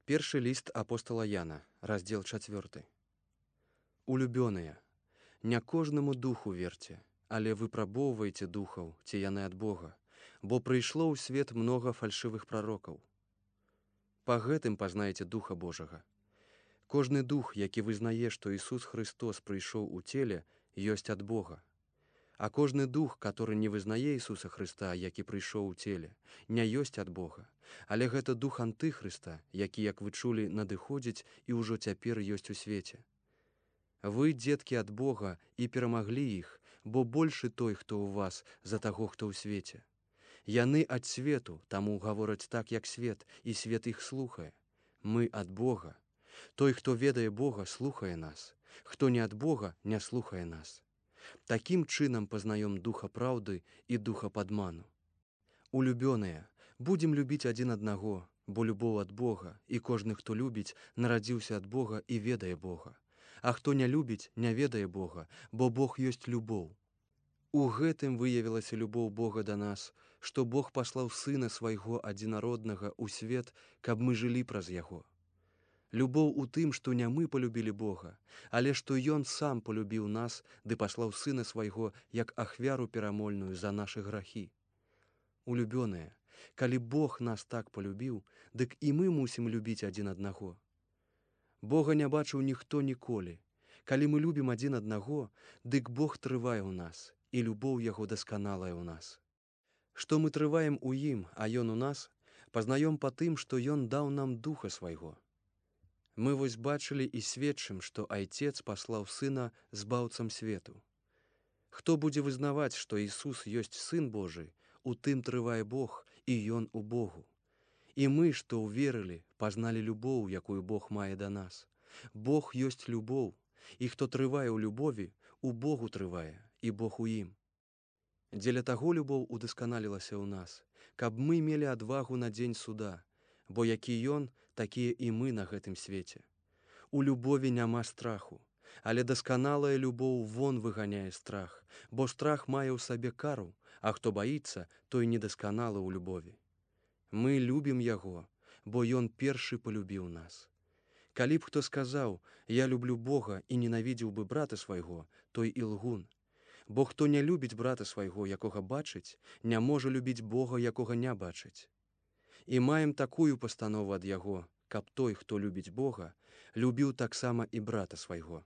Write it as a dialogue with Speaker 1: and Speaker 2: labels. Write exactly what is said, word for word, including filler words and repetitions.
Speaker 1: Першы ліст апостала Яна, раздзел чацвёрты. Улюбёныя, не кожнаму духу верце, але выпрабоўвайце духаў, ці яны ад Бога, бо прыйшло ў свет многа фальшывых прарокаў. Па гэтым пазнаеце Духа Божага. Кожны дух, які вызнае, што Ісус Христос прыйшоў у целе, ёсць ад Бога. А кожны дух, который не вызнае Ісуса Христа, які прыйшоў у целе, не ёсць ад Бога, але гэта дух антыхрыста, які, як вы чулі, надыходзіць і ўжо цяпер ёсць у свеце. Вы, дзеткі ад Бога, і перамаглі іх, бо большы той, хто ў вас, за таго, хто ў свеце. Яны ад свету, таму гавораць так, як свет, і свет іх слухае. Мы ад Бога. Той, хто ведае Бога, слухае нас. Хто не ад Бога, не слухае нас. Такім чынам пазнаём духа праўды і духа падману. Улюбёныя, будзем любіць адзін аднаго, бо любоў ад Бога, і кожны, хто любіць, нарадзіўся ад Бога і ведае Бога. А хто не любіць, не ведае Бога, бо Бог ёсць любоў. У гэтым выявілася любоў Бога да нас, што Бог паслаў Сына Свайго адзінароднага ў свет, каб мы жылі праз Яго. Любоў у тым, што не мы полюбілі Бога, але што Ён сам полюбіў нас, ды паслаў Сына Свайго як ахвяру перамольную за нашы грахі. Улюбёныя, калі Бог нас так полюбіў, дык і мы мусім любіць адзін аднаго. Бога не бачыў ніхто ніколі. Калі мы любім адзін аднаго, дык Бог трывае ў нас, і любоў Яго дасканалая ў нас. Што мы трываем у ім, а Ён у нас, пазнаём па тым, што Ён даў нам Духа Свайго. Мы вось бачылі і сведчым, што Айцец паслаў Сына збаўцам свету. Хто будзе вызнаваць, што Ісус ёсць Сын Божы, у тым трывае Бог, і Ён у Богу. І мы, што ўверылі, пазналі любоў, якую Бог мае да нас. Бог ёсць любоў, і хто трывае ў любові, у Богу трывае, і Бог у ім. Дзеля таго любоў удасканалілася ў нас, каб мы мелі адвагу на дзень суда, бо які Ён, такія і мы на гэтым свеце. У любові няма страху, але дасканалая любоў вон выганяе страх, бо страх мае ў сабе кару, а хто баіцца, той недасканалы ў любові. Мы любім Яго, бо Ён першы полюбіў нас. Калі б хто сказаў: «Я люблю Бога» і ненавідзеў бы брата свайго, той і лгун. Бо хто не любіць брата свайго, якога бачыць, не можа любіць Бога, якога не бачыць. І маем такую пастанову ад Яго, каб той, хто любіць Бога, любіў таксама і брата свайго.